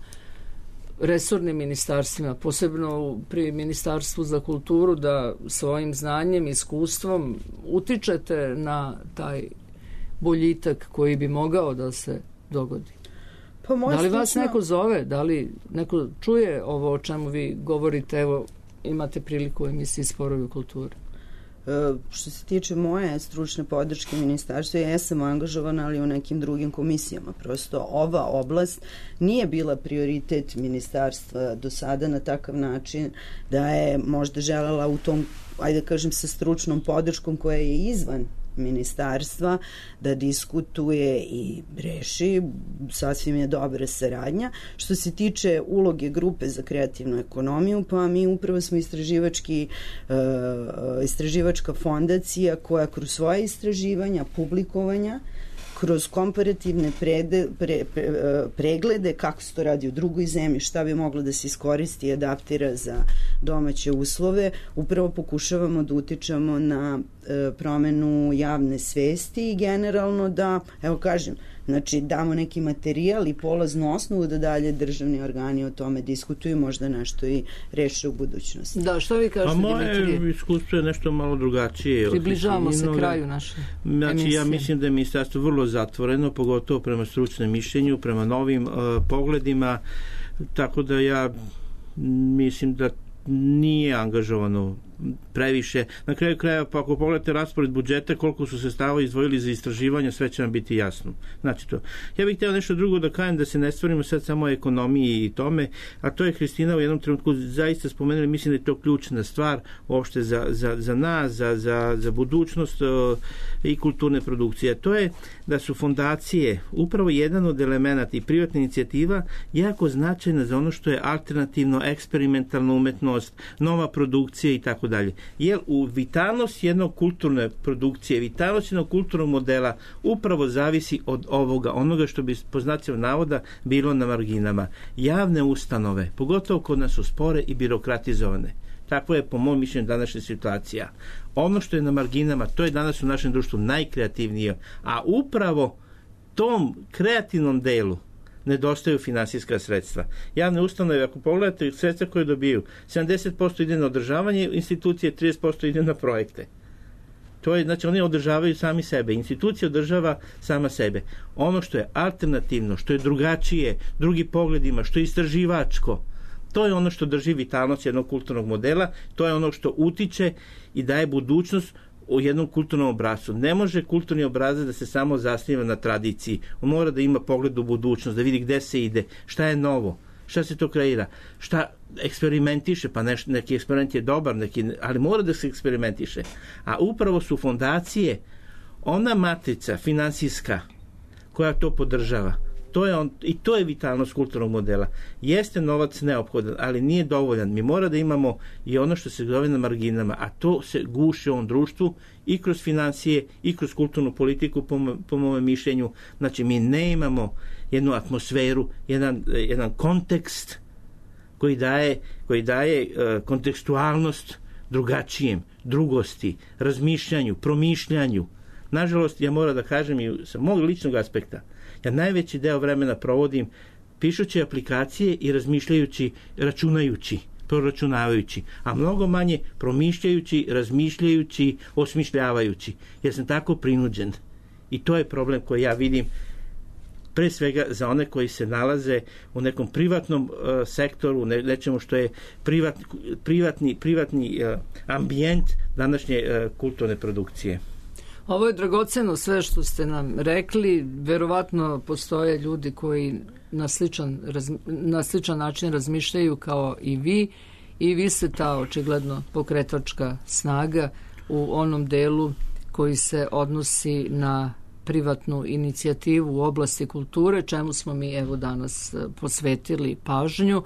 resornim ministarstvima, posebno pri Ministarstvu za kulturu, da svojim znanjem, iskustvom utičete na taj boljitak koji bi mogao da se dogodi? Da li vas neko zove? Da li neko čuje ovo o čemu vi govorite? Evo, imate priliku u emisiji Sporovi u kulturi. Što se tiče moje stručne podrške ministarstva, ja sam angažovana, ali u nekim drugim komisijama. Prosto ova oblast nije bila prioritet ministarstva do sada na takav način da je možda želela u tom, ajde kažem, sa stručnom podrškom koja je izvan ministarstva da diskutuje i reši, sasvim je dobra saradnja. Što se tiče uloge grupe za kreativnu ekonomiju, pa mi upravo smo istraživačka fondacija koja kroz svoje istraživanja, publikovanja, kroz komparativne preglede kako se to radi u drugoj zemlji, šta bi moglo da se iskoristi i adaptira za domaće uslove, upravo pokušavamo da utičemo na promenu javne svesti i generalno da, evo kažem, znači damo neki materijal i polaznu osnovu da dalje državni organi o tome diskutuju, možda nešto i reše u budućnosti. Da, što vi kažete, Dimitrije? Moje iskustvo je nešto malo drugačije. Približavamo se kraju naše emisije. Ja mislim da je ministarstvo vrlo zatvoreno, pogotovo prema stručnom mišljenju, prema novim pogledima, tako da ja mislim da nije angažovano previše. Na kraju krajeva, pa ako pogledate raspored budžeta, koliko su sredstava izdvojili za istraživanje, sve će vam biti jasno. Znači to. Ja bih htio nešto drugo da kažem, da se ne stvorimo sad samo o ekonomiji i tome, a to je Hristina u jednom trenutku zaista spomenuli, mislim da je to ključna stvar uopšte za nas, za budućnost i kulturne produkcije. To je da su fondacije upravo jedan od elemenata i privatna inicijativa jako značajna za ono što je alternativno, eksperimentalna umetnost, nova produkcija i tako dalje. Jer u vitalnost jednog kulturne produkcije, vitalnost jednog kulturnog modela upravo zavisi od onoga što bi po znacima navoda bilo na marginama. Javne ustanove, pogotovo kod nas su spore i birokratizovane. Takvo je po mom mišljenju današnja situacija. Ono što je na marginama, to je danas u našem društvu najkreativnije, a upravo tom kreativnom delu nedostaju finansijska sredstva. Javne ustanove, ako pogledate sredstva koje dobiju, 70% ide na održavanje institucije, 30% ide na projekte. To je, znači, oni održavaju sami sebe. Institucija održava sama sebe. Ono što je alternativno, što je drugačije, drugi pogledima, što je istraživačko, to je ono što drži vitalnost jednog kulturnog modela, to je ono što utiče i daje budućnost u jednom kulturnom obrascu. Ne može kulturni obrazac da se samo zasniva na tradiciji. On mora da ima pogled u budućnost, da vidi gde se ide, šta je novo, šta se to kreira, šta eksperimentiše, pa neki eksperiment je dobar, ali mora da se eksperimentiše. A upravo su fondacije ona matrica finansijska koja to podržava. To je vitalnost kulturnog modela. Jeste novac neophodan, ali nije dovoljan. Mi mora da imamo i ono što se zove na marginama, a to se guši u ovom društvu i kroz financije i kroz kulturnu politiku, po mome mišljenju. Znači, mi ne imamo jednu atmosferu, jedan kontekst koji daje kontekstualnost drugačijem, drugosti, razmišljanju, promišljanju. Nažalost, ja moram da kažem i sa mog ličnog aspekta, ja najveći deo vremena provodim pišući aplikacije i razmišljajući, računajući, proračunavajući, a mnogo manje promišljajući, razmišljajući, osmišljavajući, jer sam tako prinuđen. I to je problem koji ja vidim pre svega za one koji se nalaze u nekom privatnom sektoru, nečemu što je privatni ambijent današnje kulturne produkcije. Ovo je dragoceno sve što ste nam rekli. Verovatno postoje ljudi koji na sličan način razmišljaju kao i vi ste ta očigledno pokretačka snaga u onom delu koji se odnosi na privatnu inicijativu u oblasti kulture, čemu smo mi evo danas posvetili pažnju,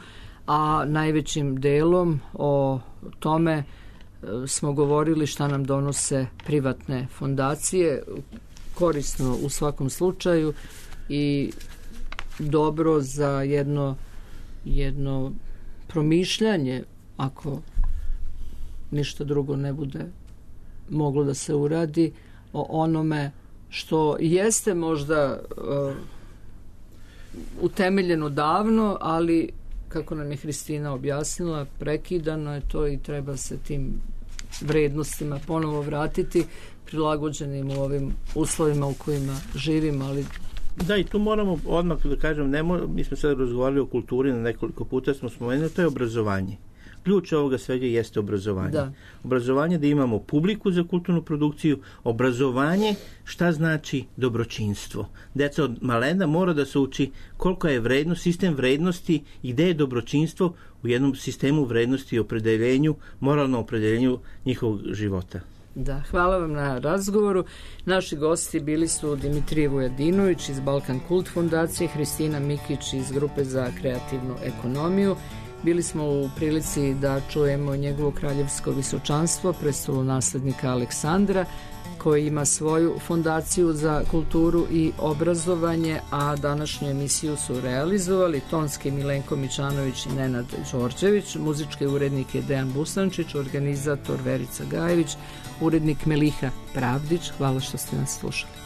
a najvećim delom o tome smo govorili šta nam donose privatne fondacije, korisno u svakom slučaju i dobro za jedno promišljanje, ako ništa drugo ne bude moglo da se uradi, o onome što jeste možda utemeljeno davno, ali kako nam je Hristina objasnila, prekidano je to i treba se tim vrednostima ponovo vratiti, prilagođenim u ovim uslovima u kojima živimo, ali da, i tu moramo odmah da kažem, mi smo sad razgovarali o kulturi, na nekoliko puta smo spomenuli, to je obrazovanje. Ključ ovoga svega jeste obrazovanje. Da. Obrazovanje da imamo publiku za kulturnu produkciju, obrazovanje šta znači dobročinstvo. Deca od malena mora da se uči koliko je vrednost, sistem vrednosti i gde je dobročinstvo u jednom sistemu vrednosti i opredeljenju, moralnom opredeljenju njihovog života. Da, hvala vam na razgovoru. Naši gosti bili su Dimitrije Vujadinović iz Balkan Kult fondacije, Hristina Mikić iz Grupe za kreativnu ekonomiju. Bili smo u prilici da čujemo njegovo kraljevsko visočanstvo, prestolonaslednika Aleksandra, koji ima svoju fondaciju za kulturu i obrazovanje, a današnju emisiju su realizovali tonski Milenko Mičanović i Nenad Đorđević, muzički urednik je Dejan Busančić, organizator Verica Gajević, urednik Meliha Pravdić. Hvala što ste nas slušali.